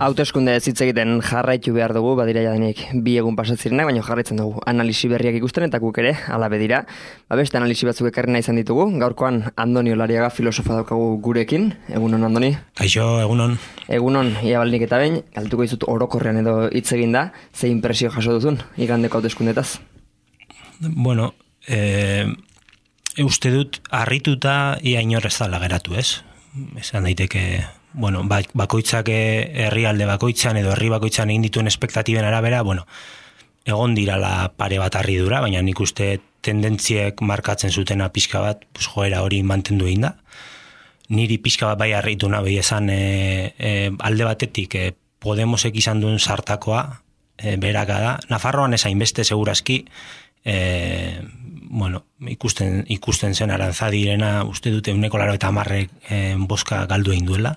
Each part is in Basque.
Hauteskunde hitz egiten jarraitu behar dugu, badira jadanik 2 egun pasatzirenak, baina jarraitzen dugu analisi berriak ikusten eta guk ere, hala bedira. Beste analisi batzuk ekarri nahi izan ditugu, gaurkoan Andoni Olariaga filosofa daukagu gurekin. Egunon, Andoni? Kaixo, egunon. Egunon, ia baldik eta behin, galtuko dizut orokorrean edo hitz egin da, ze impresio jaso duzun igandeko hauteskundetaz? Bueno, uste dut harrituta ia inor ez dala geratu, ez? Esan daiteke... Bueno, bakoitzak herrialde bakoitzan edo herri bakoitzan egin dituen espektatiben arabera, bueno, egon dirala pare bat harridura, baina nik uste tendentziek markatzen zutena pixka bat, pues, joera hori mantendu egin da. Niri pixka bat bai harritu nahi esan alde batetik Podemosek izan duen sartakoa beraka da. Nafarroan esain beste segurazki, bueno, ikusten zen Aranzadirena uste dute 90% boska galdu egin duela.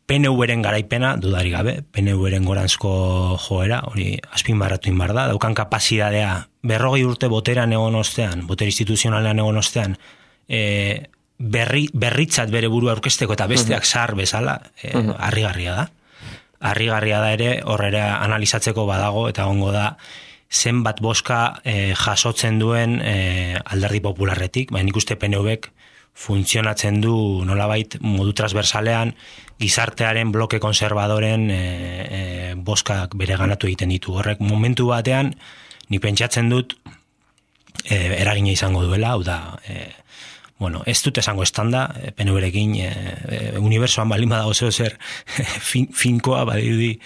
PNV-ren garaipena, dudarik gabe, PNV-ren goranzko joera, hori azpimarratu inbar da, daukan kapazitatea 40 urte boteran egon ostean, boter instituzionalean egon ostean, berritzat bere burua aurkezteko eta besteak zahar bezala, harrigarria da. Harrigarria da ere, horrera analizatzeko badago, eta gongo da, zenbat boska jasotzen duen alderdi popularretik, baina nik uste PNV-ek funtzionatzen du nolabait modu transversalean gizartearen bloke konservadoren boskak bere ganatu egiten ditu. Horrek momentu batean, ni pentsatzen dut eragina izango duela, hau da, bueno, ez dut esango estanda, PNV-rekin unibersoan balin badago zer finkoa badirudi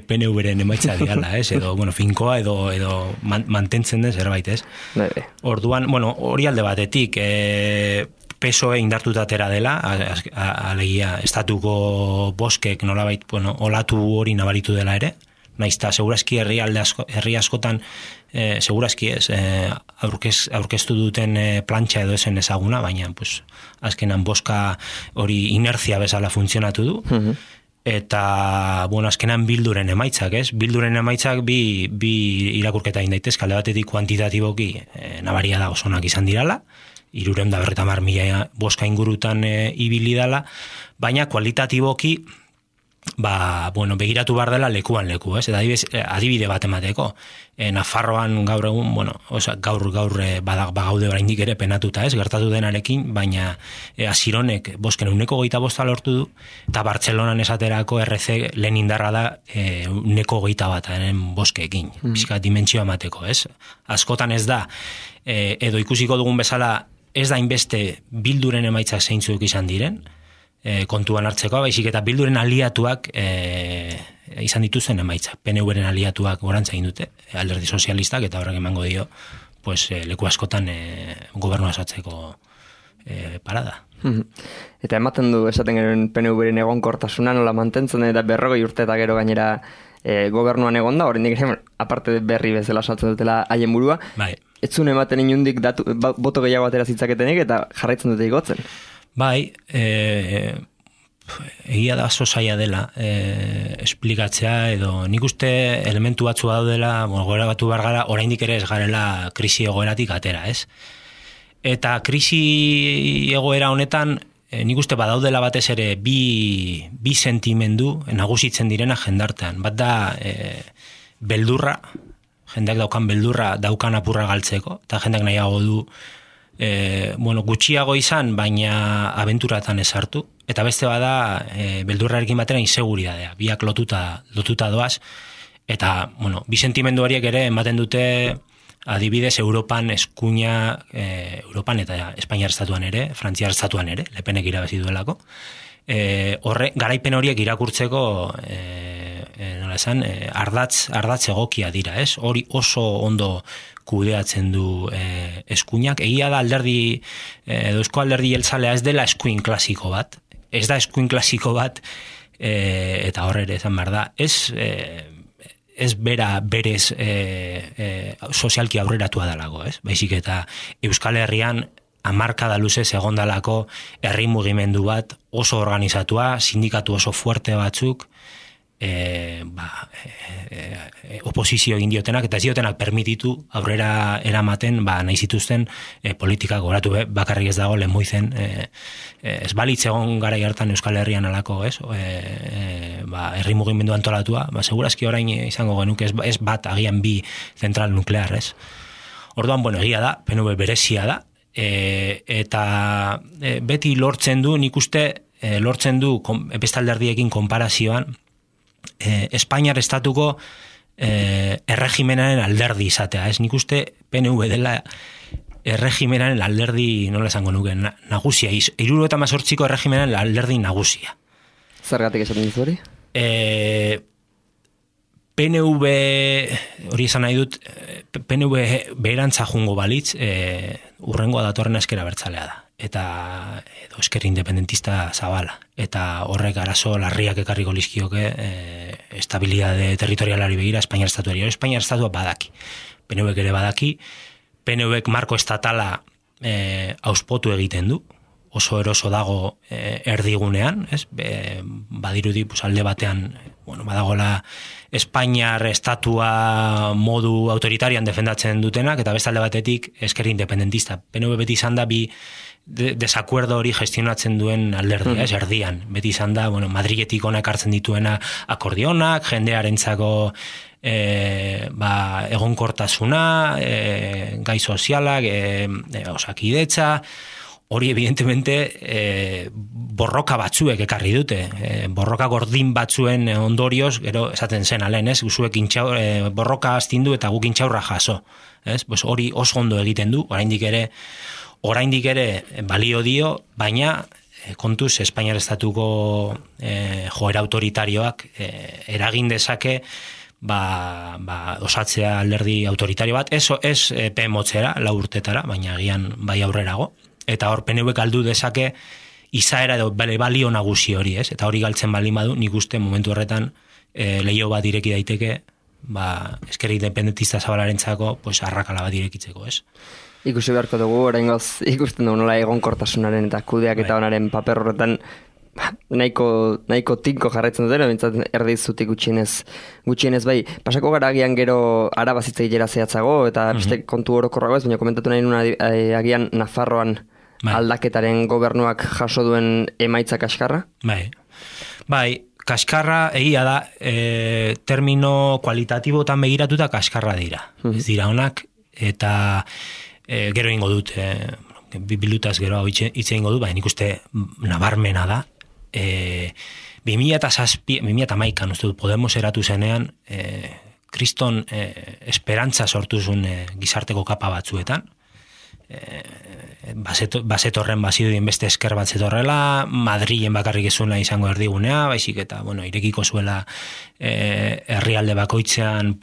PNV-ren emaitza diala, ez? Edo, bueno, finkoa edo mantentzen den zerbait, ez? Orduan, bueno, hori alde batetik, PSOE indartuta atera dela, alegia estatuko boskek nolabait, bueno, olatu hori nabaritu dela ere, naizta segurazki herri askotan segurazki ez aurkeztu duten plantxa edo esen ezaguna, baina pues, azkenan boska hori inertzia bezala funtzionatu du. Eta, bueno, azkenan bilduren emaitzak, ez? Bilduren emaitzak bi irakurketa egin daitezke, alde batetik kuantitatiboki nabaria da osonak izan dirala, 350.000 boska ingurutan ibili dala, baina kualitatiboki bueno, begiratu behar dela lekuan leku, ez? Eta adibide bat emateko. Nafarroan gaur egun, bueno, gaur bagaude oraindik ere penatuta, ez? Gertatu denarekin, baina Asironek bosken 125 lortu du, eta Bartzelonan esaterako RC lehen indarra da 121 boskeekin. Pixka dimentsioa emateko, ez? Askotan ez da, edo ikusiko dugun bezala, ez da inbeste bilduren emaitzak zeintzuk izan diren, kontuan hartzeko, baizik eta bilduren aliatuak izan dituzen emaitza. PNV-ren aliatuak gorantza egin dute, alderdi sozialistak, eta horrek emango dio, pues, leku askotan gobernua osatzeko parada. Eta ematen du esaten gero PNV-ren egonkortasuna nola mantentzen eta 40 urte eta gero gainera gobernuan egon da, oraindik ere aparte berri bezala osatzen dutela haien burua. Bai. Ez zuen ematen inundik boto gehiago atera zitzaketenik eta jarraitzen dute igotzen. Bai, egia da oso zaila dela esplikatzea edo nik uste elementu batzu daudela, gora batu behar gara, oraindik ere ez garela krisi egoeratik atera, ez? Eta krisi egoera honetan, nik uste badaudela batez ere bi sentimendu nagusitzen direna jendartean. Bat da beldurra, jendeak daukan beldurra daukan apurra galtzeko, eta jendeak nahiago du bueno, gutxiago izan, baina abenturatan ez hartu. Eta beste bada, beldurrarekin batera inseguridadea, biak lotuta doaz. Eta, bueno, bi sentimendu horiek ere ematen dute adibidez Europan eskuina, Europan eta Espainiar estatuan ere, Frantziar estatuan ere, Lepenek irabazi duelako. Garaipen horiek irakurtzeko nola esan, ardatz egokia dira, ez? Hori oso ondo kudeatzen du eskuinak. Egia da alderdi, eusko alderdi jeltzalea ez dela eskuin klasiko bat. Ez da eskuin klasiko bat, eta horre esan behar da, ez bera berez sozialki aurreratua dalago, ez? Baizik eta Euskal Herrian hamarkada luzez egondalako herri mugimendu bat oso organizatua, sindikatu oso fuerte batzuk, oposizio egin diotenak, eta ez diotenak permititu aurrera eramaten nahi zituzten politikak goratu bakarrik ez dago Lemoizen ez balitz egon garai hartan Euskal Herrian alako, ez? Herri mugimendu antolatua, segurazki orain izango genuke ez bat agian bi zentral nuklear, ez? Orduan, egia da, PNV berezia da, eta beti lortzen du, nik uste lortzen du beste alderdiekin konparazioan Espainiar estatuko erregimenaren alderdi izatea, ez? Nik uste PNV dela erregimenaren alderdi, nola esango nuke, nagusia, 78ko erregimenaren alderdi nagusia. Zergatik esaten dizu hori? PNV, hori esan nahi dut, PNV beherantza jungo balitz, urrengoa datorren ezker abertzalea da. Eta edo esker independentista zabala. Eta horrek arazo larriak ekarriko lizkioke estabilidade territorialari begira Espainiar estatuari. Espainiar estatua badaki. PNVek ere badaki. PNVek marko estatala auspotu egiten du. Oso eroso dago erdigunean, ez? Badirudi alde batean, badagola Espainiar estatua modu autoritarian defendatzen dutenak, eta beste alde batetik esker independentista. PNV beti izan da bi desakuerdo hori gestionatzen duen alderdia, ez erdian. Beti izan da, Madriletik ona ekartzen dituena akordionak, jendearentzako egonkortasuna, gai sozialak, osakidetza, hori evidentemente borroka batzuek ekarri dute, borroka gordin batzuen ondorioz, gero esaten zen alen, ez? Zuek borroka astindu eta guk intxaurra jaso, ez? Pues hori oso ondo egiten du, oraindik ere balio dio, baina kontuz Espainiar estatuko joera autoritarioak eragin dezake osatzea alderdi autoritario bat, ez motzera, 4 urtetara, baina agian bai aurrerago. Eta hor PNV galdu dezake izaera edo balio nagusi hori, ez? Eta hori galtzen baldin badu, nik uste momentu horretan leiho bat ireki daiteke, esker independentista zabalarentzako, arrakala bat irekitzeko, ez? Ikusi beharko dugu, oraingoz ikusten dugu nola egonkortasunaren eta kudeak eta onaren paper horretan nahiko tinko jarraitzen dutera, bintzat erdizutik gutxienez bai. Pasako gara agian gero arabazitzei jera zehatzago, eta beste kontu orokorrago ez, baina komentatu nahi nuna agian Nafarroan aldaketaren gobernuak jaso duen emaitza kaskarra? Bai, kaskarra egia da, termino kualitatibotan begiratuta kaskarra dira. Ez dira onak, eta gero ingo dut, bilutaz gero hitz egingo dut, baina nik uste nabarmena da. 2008an uste dut Podemos eratu zenean, kriston esperantza sortu zuen gizarteko kapa batzuetan, bazetorren baziduen beste esker bat zetorrela, Madrilen bakarrik ezuna izango erdigunea, baizik eta irekiko zuela herrialde bakoitzean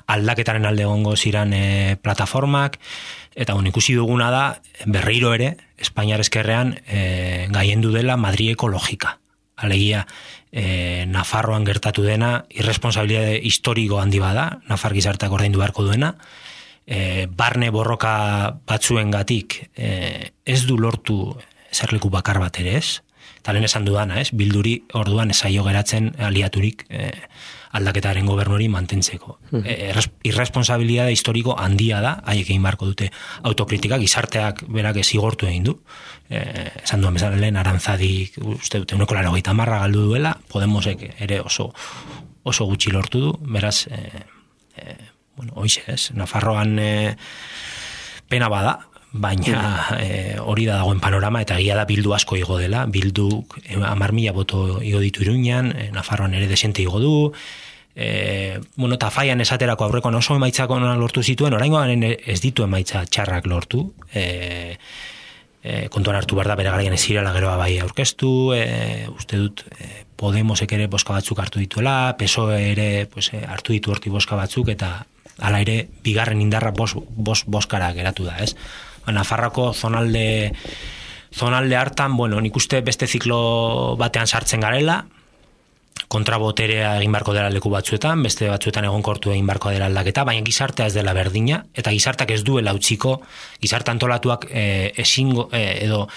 aldaketaren alde egongo ziran plataformak, eta ikusi duguna da, berriro ere, Espainiar eskerrean gaiendu dela Madrileko logika. Alegia, Nafarroan gertatu dena, irresponsabilitate historiko handi bada, Nafar gizarteak ordaindu beharko duena, barne borroka batzuengatik ez du lortu zerleku bakar bat ere ez, eta lehen esan dudana, ez? Bilduri orduan esaio geratzen aliaturik aldaketaren gobernuri mantentzeko. Irresponsabilitate historiko handia da, haiek egin barko dute autokritika, gizarteak berak zigortu egin du. Esan duen bezala lehen Aranzadik, uste dute, 90 galdu duela, Podemosek ere oso gutxi lortu du, beraz, hoize ez, Nafarroan pena bada, baina hori da dagoen panorama, eta egia da Bildu asko igo dela, Bildu 10.000 boto igo ditu Iruñan, Nafarroan ere desente igo du, eta Faian esaterako aurreko oso emaitzak lortu zituen, oraingoan ez ditu emaitza txarrak lortu, kontuan hartu behar da bere garaian ez zirela geroa bai aurkeztu, uste dut Podemosek ere boska batzuk hartu dituela, PSOE ere hartu ditu horti boska batzuk, eta hala ere bigarren indarra boskara geratu da, ez? Nafarroko zonalde hartan, nik uste beste ziklo batean sartzen garela, kontraboterea egin barko dela leku batzuetan, beste batzuetan egonkortu egin barko dela aldaketa, baina gizartea ez dela berdina, eta gizarteak ez duela utziko, gizarte antolatuak edo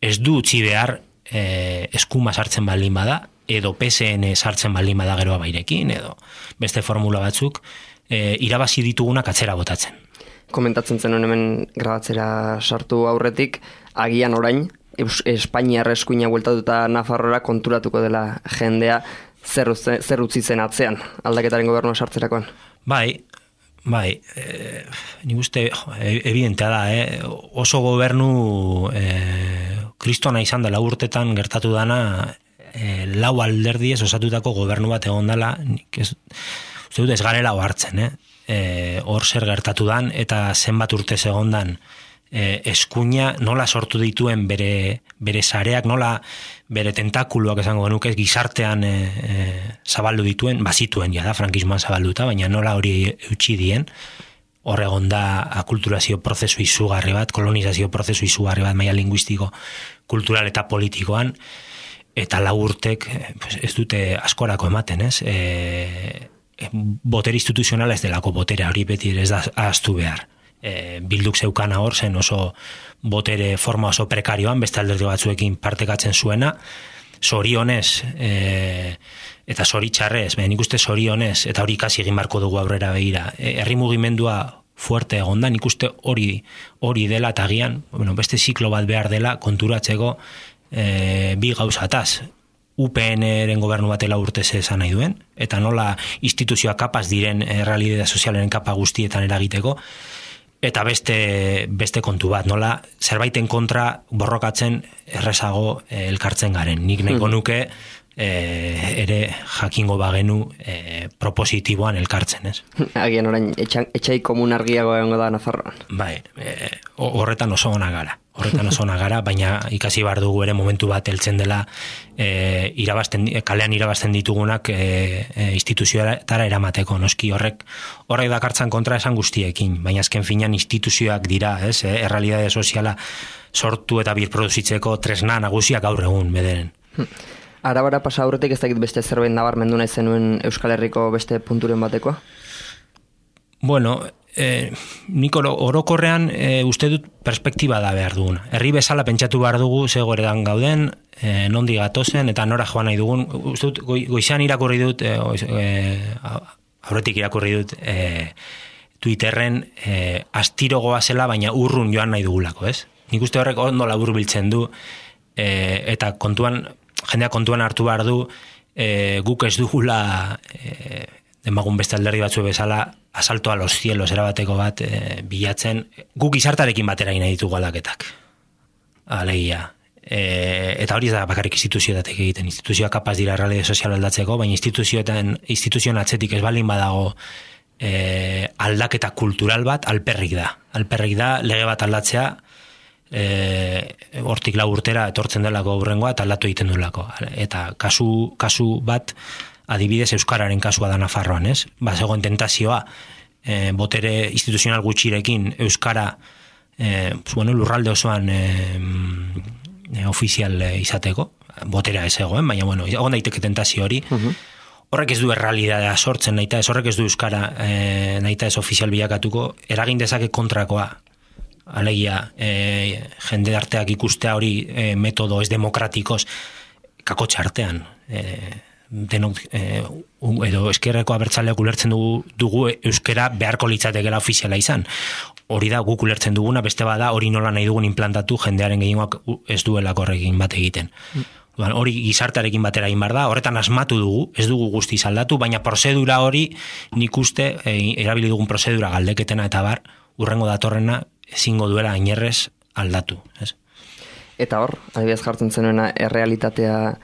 ez du utzi behar eskuma sartzen baldin bada, edo PSN sartzen baldin bada gero abairekin, edo beste formula batzuk, irabazi ditugunak atzera botatzen. Komentatzen zenuen hemen grabatzera sartu aurretik, agian orain, Espainiar eskuina bueltatuta Nafarroara konturatuko dela jendea zer utzi zen atzean, aldaketaren gobernua sartzerakoan. Bai, nik uste evidentea da, oso gobernu kristona izan dela urtetan gertatu dana, lau alderdiez osatutako gobernu bat egon dela, uste dut ez garela hartzen, hor zer gertatu dan, eta zenbat urte segondan eskuina nola sortu dituen bere sareak, nola bere tentakuluak esango genuke gizartean zabaldu dituen, bazituen ja da, frankismoan zabalduta, baina nola hori eutxi dien, hor egon da akulturazio prozesu izugarri bat, kolonizazio prozesu izugarri bat, maila linguistiko, kultural eta politikoan, eta lau urtek ez dute askorako ematen, ez? Botere instituzionala ez delako boterea hori beti ez da ahaztu behar. Bilduk zeukana hor zen oso botere forma oso prekarioan, beste alderdi batzuekin partekatzen zuena, zorionez eta zoritxarrez, nik uste zorionez, eta hori ikasi egin barko dugu aurrera begira, herri mugimendua fuerte egon da, nik uste hori dela eta agian, beste ziklo bat behar dela konturatzeko bi gauzataz, UPN-ren gobernu batela urtez esan nahi duen, eta nola instituzioa kapaz diren realidade sozialen kapa guztietan eragiteko, eta beste kontu bat, nola zerbaiten kontra borrokatzen errezago elkartzen garen. Nik nahiko nuke ere jakingo bagenu propositiboan elkartzen, ez? Agian orain, etxai komun argiago egongo da Nafarroan. Bai, horretan oso ona gara, baina ikasi behar dugu ere momentu bat heltzen dela kalean irabazten ditugunak instituzioetara eramateko, noski horrek dakartzan kontra esan guztiekin, baina azken finean instituzioak dira, ez? Errealidade soziala sortu eta birproduzitzeko tresna nagusiak gaur egun bederen. Arabara pasa aurretik ez dakit beste zerbait nabarmendu nahi zenuen Euskal Herriko beste punturen batekoa? Bueno, nik orokorrean uste dut perspektiba da behar duguna. Herri bezala pentsatu behar dugu ze goredan gauden, nondi gatozen eta nora joan nahi dugun. Uste dut goizean irakurri dut, aurretik irakurri dut Twitterren astirogoa zela, baina urrun joan nahi dugulako, ez? Nik uste horrek ondo labur biltzen du, eta jendeak kontuan hartu behar du, guk ez dugula demagun beste alderdi batzu bezala asalto a los cielos erabateko bat bilatzen, guk gizartarekin batera nahi ditugu aldaketak. Alegia. Eta hori ez da bakarrik instituzioetatek egiten. Instituzioa kapaz dira realidade sozial aldatzeko, baina instituzioen atzetik ez baldin badago aldaketa kultural bat alperrik da. Alperrik da lege bat aldatzea, hortik lau urtera etortzen delako aurrengoa eta aldatu egiten duelako. Eta kasu bat adibidez Euskararen kasua da Nafarroan, ez? Zegoen tentazioa botere instituzional gutxirekin Euskara lurralde osoan ofizial izateko, boterea ez egoen, baina egon daiteke tentazio hori. Horrek ez du errealidadea sortzen, horrek ez du Euskara nahita ez ofizial bilakatuko, eragin dezake kontrakoa. Alegia, jende arteak ikustea hori metodo ez demokratikos kakotxe artean. Denok, edo eskerreko abertzaleak ulertzen dugu euskera beharko litzatekela ofiziala izan. Hori da guk ulertzen duguna, beste bada hori nola nahi dugun implantatu jendearen gehiagoak ez duelako horrekin bat egiten. Hori gizartarekin batera egin behar da, horretan asmatu dugu, ez dugu guztiz aldatu, baina prozedura hori nik uste, erabili dugun prozedura galdeketena eta bar, urrengo datorrena ezingo duela inerrez aldatu. Ez? Eta hor, adibidez jartzen zenuena errealitatea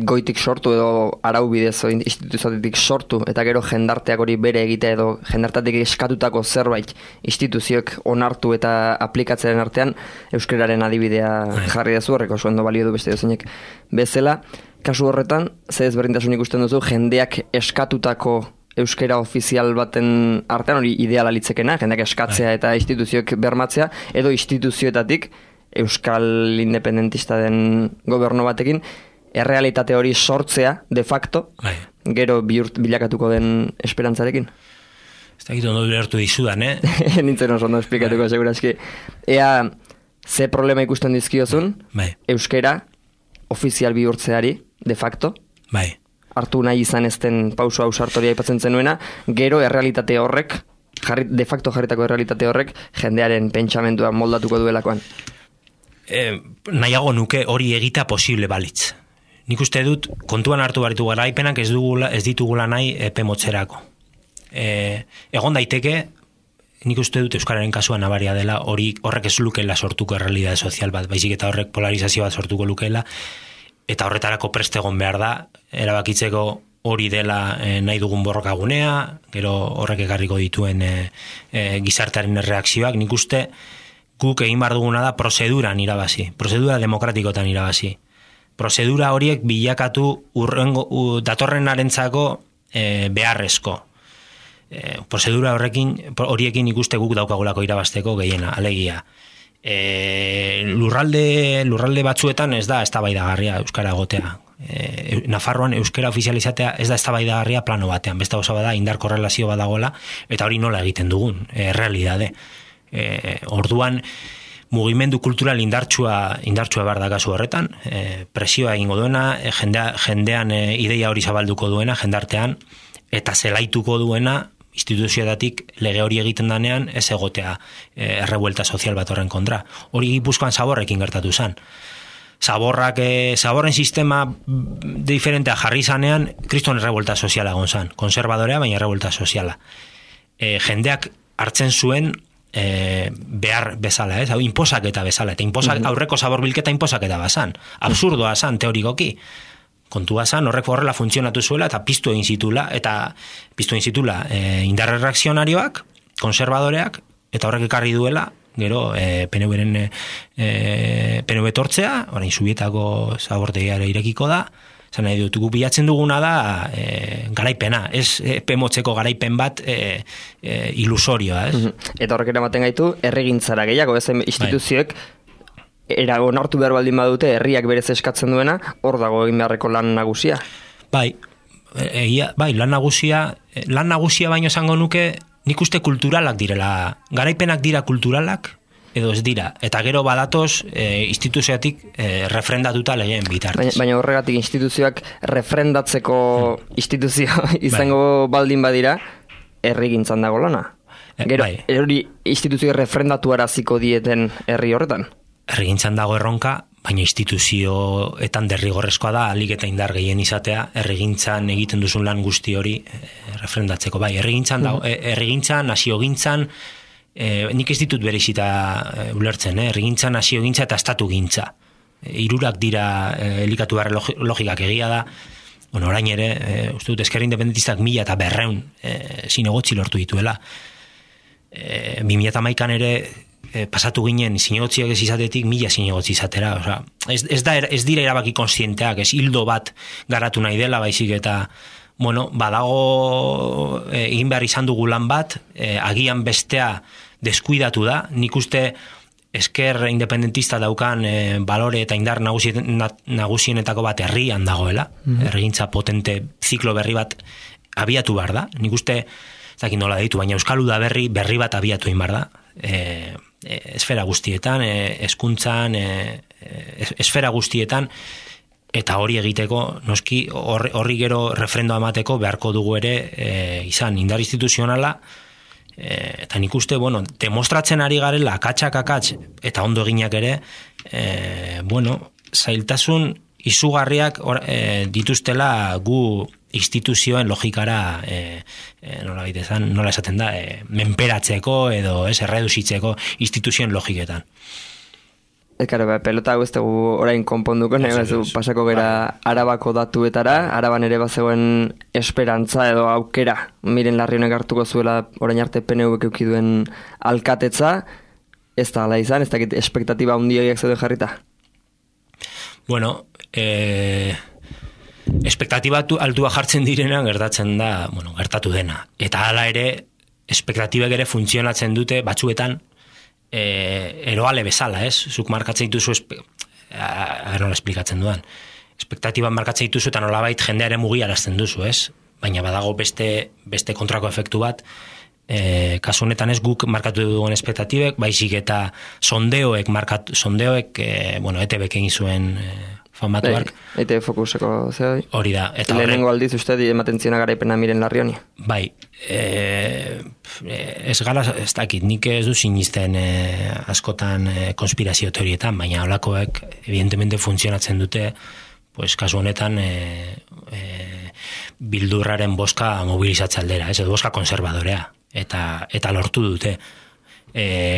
goitik sortu edo arau bidez instituzioatik sortu eta gero jendarteak hori bere egitea edo jendarteatik eskatutako zerbait instituzioek onartu eta aplikatzearen artean euskararen adibidea jarri dezu horreko oso ondo balio du beste dozeinek bezala. Kasu horretan, ze ezberdintasun ikusten duzu jendeak eskatutako euskera ofizial baten artean hori ideala litzekena, jendeak eskatzea eta instituzioek bermatzea, edo instituzioetatik euskal independentista den gobernu batekin errealitate hori sortzea, de facto, gero bilakatuko den esperantzarekin. Ez da gitu ondo ulertu dizudan, Nintzen oso ondo esplikatuko, segurazki. Ea, ze problema ikusten dizkiozun, euskera ofizial bihurtzeari, de facto, Bai. Hartu nahi izan ezten pauso ausartoria aipatzen zenuena, gero errealitate horrek, de facto jarritako errealitate horrek, jendearen pentsamendua moldatuko duelakoan. Nahiago nuke hori egita posible balitz. Nik uste dut, kontuan hartu baritu garaipenak ez ditugula nahi epe motzerako. Egon daiteke, nik uste dut euskararen kasuan nabaria dela, horrek ez lukela sortuko errealitate sozial bat, baizik eta horrek polarizazio bat sortuko lukela, eta horretarako prest egon behar da, erabakitzeko hori dela nahi dugun borrokagunea, gero horrek ekarriko dituen gizartearen erreakzioak, nik uste guk egin behar duguna da prozeduran irabazi, prozedura demokratikotan irabazi. Prozedura horiek bilakatu datorrenarentzako beharrezko. Prozedura horiekin ikuste guk daukagulako irabazteko gehiena, alegia. Lurralde batzuetan ez da eztabaidagarria euskara egotea. Nafarroan euskara ofizializatea ez da eztabaidagarria plano batean, beste gauza bada indar korrelazio badagoela, eta hori nola egiten dugun, realidade. Orduan mugimendu kultural indartsua behar da kasu horretan, presioa egingo duena, jendean ideia hori zabalduko duena, jendartean, eta zelaituko duena, instituzioetatik lege hori egiten danean ez egotea errebuelta sozial bat horren kontra. Hori Gipuzkoan Zaborrekin gertatu zen. Zaborren sistema diferentea jarri zanean, kriston errebuelta soziala egon zen. Konservadorea, baina errebuelta soziala. Jendeak hartzen zuen behar bezala, ez? Inposaketa bezala. Eta aurreko zabor bilketa inposaketa bazan. Absurdoa zan, teorikoki. Kontua zan, horrek horrela funtzionatu zuela eta piztu egin zitula indarre reakzionarioak, konservadoreak, eta horrek ekarri duela, gero PNV tortzea, orain Zubietako zabortegiare irekiko da, zan nahi dut, gu bilatzen duguna da garaipena, ez pemotzeko garaipen bat ilusorioa, ez? Eta horrek eramaten gaitu, herrigintzara gehiago, ez instituzioek, onartu behar baldin badute herriak berez eskatzen duena, hor dago egin beharreko lan nagusia. Bai, lan nagusia baino esango nuke, nik uste kulturalak direla, garaipenak dira kulturalak, edo ez dira, eta gero badatoz instituzioatik refrendatuta legeen bitartez. Baina horregatik instituzioak refrendatzeko instituzio izango baldin badira, herrigintzan dago lana. Gero, hori instituzio refrendatu araziko dieten herri horretan? Herrigintzan dago erronka, baina instituzioetan derrigorrezkoa da, alik eta indar gehien izatea, herrigintzan egiten duzun lan guzti hori refrendatzeko. Bai, herrigintzan, naziogintzan, nik ez ditut berezita ulertzen, herrigintzan, naziogintza eta estatugintza. Hirurak dira elikatu behar logikak egia da, orain ere, uste dut, Ezker Independentistak 1200 zinegotzi lortu dituela. 2011an ere, pasatu ginen zinegotziak ez izatetik 1000 zinegotzi izatera. Ez dira erabaki konstienteak, ez hildo bat garatu nahi dela, baizik eta badago egin behar izan dugu lan bat, agian bestea deskuidatu da. Nik uste Ezker Independentista daukan balore eta indar nagusienetako bat herrian dagoela, herrigintza potente ziklo berri bat abiatu behar da. Nik uste, ez dakit nola ditu, baina Euskal Uda berri bat abiatu egin behar da. Esfera guztietan, hezkuntzan, esfera guztietan, eta hori egiteko, noski, horri gero refrendo emateko beharko dugu ere izan indar instituzionala, eta nik uste, demostratzen ari garela akatsak, eta ondo eginak ere, zailtasun izugarriak dituztela gu instituzioen logikara nola esaten da, menperatzeko edo erreduzitzeko instituzioen logiketan. Pelota ez dugu orain konponduko, pasako gera Arabako datuetara, Araban ere bazegoen esperantza edo aukera, Miren Larrionek hartuko zuela orain arte PNVk eduki duen alkatetza, ez da ala izan, ez dakit espektatiba handiak zeuden jarrita? Espektatiba altua jartzen direnean gertatzen da, gertatu dena. Eta hala ere, espektatibek ere funtzionatzen dute batzuetan eroale bezala, ez? Zuk markatzen dituzu, nola esplikatzen duan. Espektatiba markatzen dituzu eta nolabait jendeare mugiarazten duzu, ez? Baina badago beste kontrako efektu bat, kasu honetan ez guk markatu duen espektatibek, baizik eta sondeoek ETBek egin zuen famatuak. Eite fokuseko zehoi. Hori da. Eta lehenengo aldiz uste ematen ziona garaipena Miren Larrioni. Bai, ez gara, ez dakit, nik ez du sinisten askotan konspirazio teorietan, baina holakoek evidentemente funtzionatzen dute, pues kasu honetan bildurraren boska mobilizatze aldera, ez edo boska konservadorea, eta lortu dute.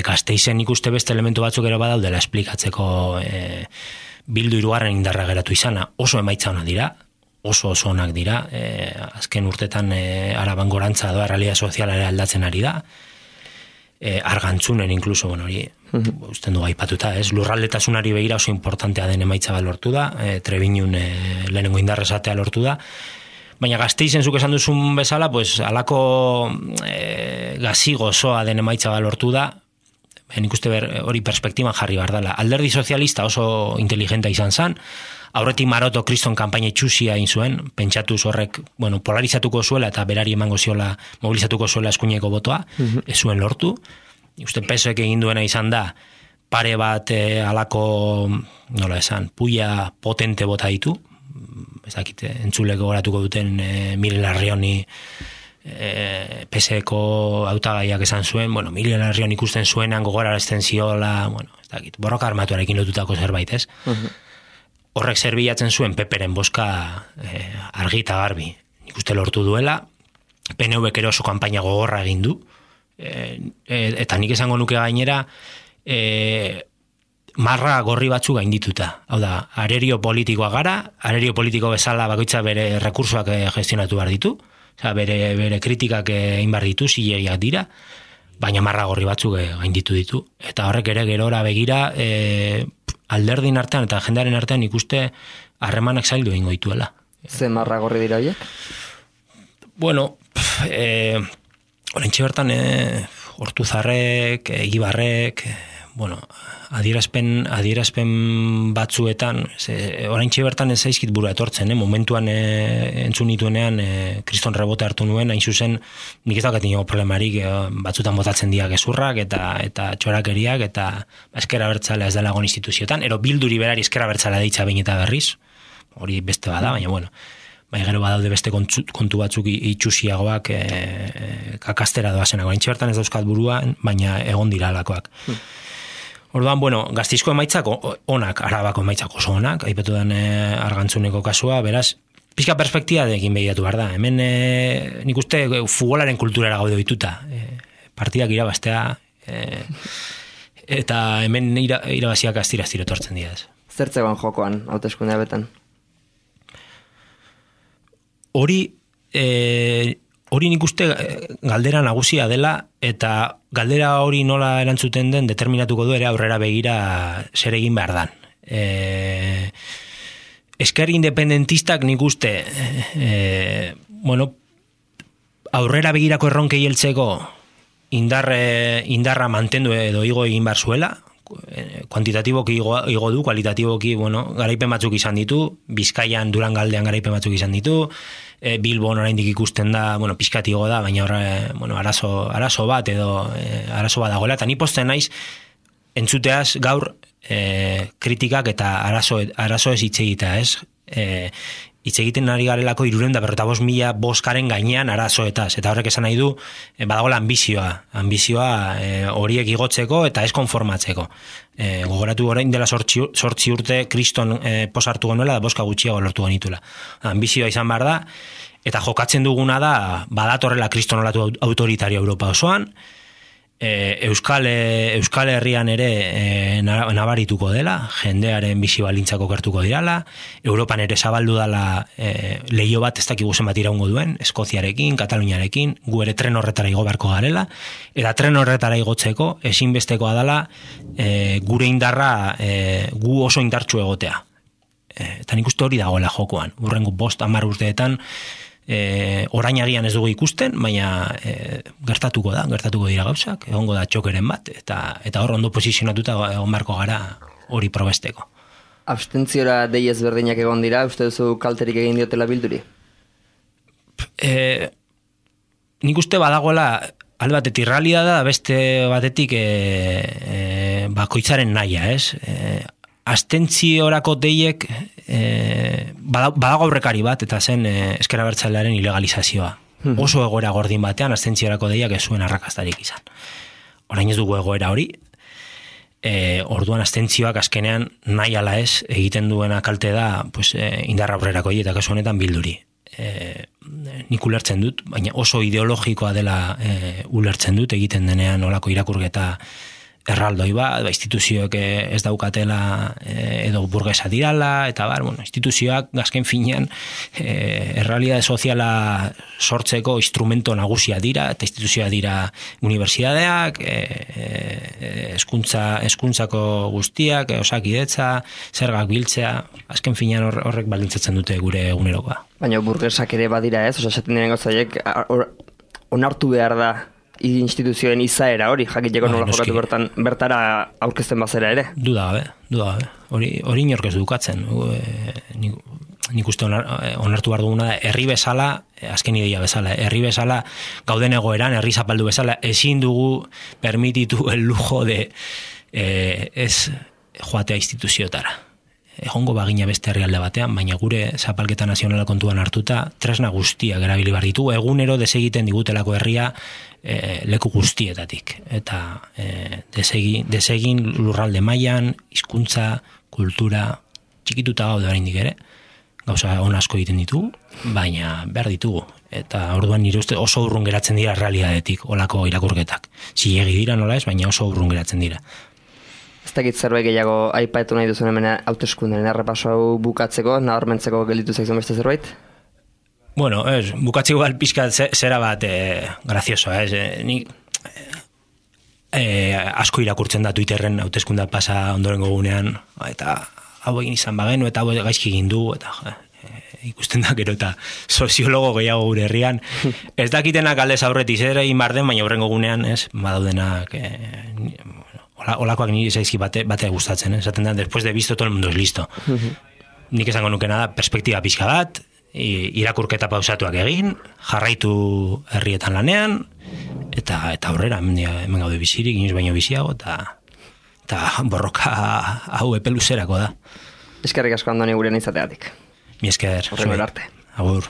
Gasteizen ikuste beste elementu batzuk ere badaudela esplikatzeko bildu hirugarren indarra geratu izana, oso emaitza onak dira, oso onak dira, azken urtetan Araban gorantza doa realidad soziala ere aldatzen ari da, argantzunen inkluso, bueno, hori, usten dugu aipatuta, ez? Lurraldetasunari begira oso importantea den emaitza bat lortu da, Trebiñun lehenengo indarra esatea lortu da, baina Gasteizen zuk esan duzun bezala, pues, alako gazi gozoa den emaitza bat lortu da, nik uste hori perspektiban jarri behar dela. Alderdi sozialista oso inteligenta izan zen, aurretik Maroto kriston kanpaina itxusia egin zuen, pentsatuz horrek, bueno, polarizatuko zuela eta berari emango ziola, mobilizatuko zuela eskuineko botoa, ez zuen lortu. Uste PSOek egin duena izan da, pare bat alako, nola esan, puia potente bota ditu, ez dakit, entzuleko goratuko duten Miren Larrioni PSeko hautagaiak esan zuen, bueno, Miren Larrion ikusten zuenan gogorarazten ziola, bueno, ez dakit, borroka armatuarekin lotutako zerbait, ez? Horrek zer bilatzen zuen Peperen boska argi eta garbi. Nik uste lortu duela, PNVk ere oso kanpaina gogorra egin du, eta nik esango nuke gainera, marra gorri batzu gaindituta. Hau da, arerio politikoa gara, arerio politiko bezala bakoitza bere rekursoak gestionatu behar ditu, bere kritikak egin behar ditu, zilegiak dira, baina marra gorri batzuk gainditu ditu. Eta horrek ere gerora begira, alderdin artean eta jendearen artean ikuste harremanak zaildu egingo dituela. Ze marra gorri dira horiek? Bueno, oraintxe bertan Hortuzarrek, Egibarrek, bueno, adierazpen batzuetan, oraintxe bertan ez zaizkit burua etortzen, momentuan entzun nituenean kriston rebote hartu nuen, hain zuzen, nik ez daukat ingo problemarik, batzutan botatzen dira gezurrak eta txorakeriak, eta ezker abertzalea ez dela egon instituzioetan, ero bilduri berari ezker abertzalea deitza behin eta berriz, hori beste bada, baina bueno, bai gero badaude beste kontu batzuk itxusiagoak kakastera doazenak, oraintxe bertan ez dauzkat buruan, baina egon dira alakoak. Orduan, bueno, Gasteizko emaitzak onak, Arabako emaitzak oso onak, aipatu den Argantzuneko kasua, beraz, pixka perspektiba egin begiratu behar da. Hemen nik uste futbolaren kulturara gaude dituta. Partidak irabaztea, eta hemen irabaziak astira etortzen dira. Zertzegoan jokoan, hauteskundea betan? Hori nik uste galdera nagusia dela, eta galdera hori nola erantzuten den determinatuko du ere aurrera begira zer egin behar dan. Esker independentistak nik uste bueno, aurrera begirako erronkei heltzeko indarra mantendu edo igo egin behar zuela, kuantitatiboki igo du, kualitatiboki, bueno, garaipen batzuk izan ditu, Bizkaian, Durangaldean garaipen batzuk izan ditu, Bilbon oraindik ikusten da, bueno, pizkatigo da, baina bueno, arazo bat edo arazo bat dagoela, eta ni pozten naiz entzuteaz gaur kritikak eta arazo ez hitz egitea, ez? Hitz egiten ari garelako 355.000 boskaren gainean arazoetaz, eta horrek esan nahi du badagoela ambizioa horiek igotzeko eta ez konformatzeko. Gogoratu orain dela 8 urte kriston posartu genuela da boska gutxiago lortu genitula. Ambizioa izan behar da, eta jokatzen duguna da badatorrela kriston olatu autoritario Europa osoan, Euskal Herrian ere nabarituko dela, jendearen bizi baldintzak okertuko dirala, Europan ere zabaldu dela lehio bat ez dakigu zenbat iraungo duen, Eskoziarekin, Kataluniarekin, gu ere tren horretara igo beharko garela, eta tren horretara igotzeko ezinbestekoa dela gure indarra gu oso indartsu egotea. Eta nik uste hori dagoela jokoan, urrengo 5-10 urteetan orain agian ez dugu ikusten, baina gertatuko dira gauzak, egongo da txokeren bat, eta hor ondo posizionatuta egon beharko gara hori probesteko. Abstentziora dei ezberdinak egon dira, uste duzu kalterik egin diotela bilduri? Nik uste badagoela alde batetik realidada, beste batetik bakoitzaren nahia, ez? Abstentziorako deiek badago aurrekari bat, eta zen ezker abertzalearen ilegalizazioa. Oso egoera gordin batean, abstentziorako deiak ez zuen arrakastarik izan. Orain ez dugu egoera hori, orduan abstentzioak azkenean nahi ala ez egiten duena kalte da pues, indarra aurrerako eta kasu honetan bilduri. Nik ulertzen dut, baina oso ideologikoa dela ulertzen dut, egiten denean olako irakurketa erraldoi bat, instituzioek ez daukatela edo burgesa dirala, eta instituzioak azken finean errealitate soziala sortzeko instrumento nagusia dira, eta instituzioa dira unibertsitateak, hezkuntzako guztiak, osakidetza, zergak biltzea, azken finean horrek baldintzatzen dute gure egunerokoa. Baina burgesak ere badira ez, esaten diren gauzaiek, onartu behar da instituzioen izaera hori, jakiteko nola jokatu bertara aurkezten bazera ere? Duda gabe. Hori inork ez dukatzen. Nik uste onartu behar duguna da, herri bezala, azken ideia bezala, herri bezala, gauden egoeran, herri zapaldu bezala, ezin dugu permititu el lujo de ez joatea instituziotara. Egongo bagina beste herrialde batean, baina gure zapalketa nazionala kontuan hartuta, tresna guztiak erabili behar ditu, egunero desegiten digutelako herria leku guztietatik. Eta desegin lurralde mailan, hizkuntza, kultura, txikituta gaude oraindik ere, gauza on asko egiten ditugu, baina behar ditugu. Eta orduan nire uste oso urrun geratzen dira realitatetik, olako irakurketak. Zilegi dira nola ez, baina oso urrun geratzen dira. Ez dakit zerbait gehiago aipatu nahi duzun hemen hauteskundeen errepaso hau bukatzeko, nabarmentzeko gelditu zaizun beste zerbait? Bueno, bukatzeko pixka zera bat grazioso, nik asko irakurtzen da Twitterren hauteskunda pasa ondorengo gunean, eta hau egin izan bagenu, eta hau gaizki egin du, eta ikusten da gero eta soziologo gehiago gure herrian. Ez dakitenak aldez aurretiz ere inbarden, baina horrengo gunean, badaudenak olakoak nire zaizki bate gustatzen, esaten da, después de visto todo el mundo es listo. Nik esango nukena da, perspektiba pixka bat, irakurketa pausatuak egin, jarraitu herrietan lanean, eta aurrera, hemen gaude bizirik, inoiz baino biziago, eta borroka hau epe luzerako da. Eskerrik asko Andoni gurean izateatik. Mi esker. Horrengo arte. Agur.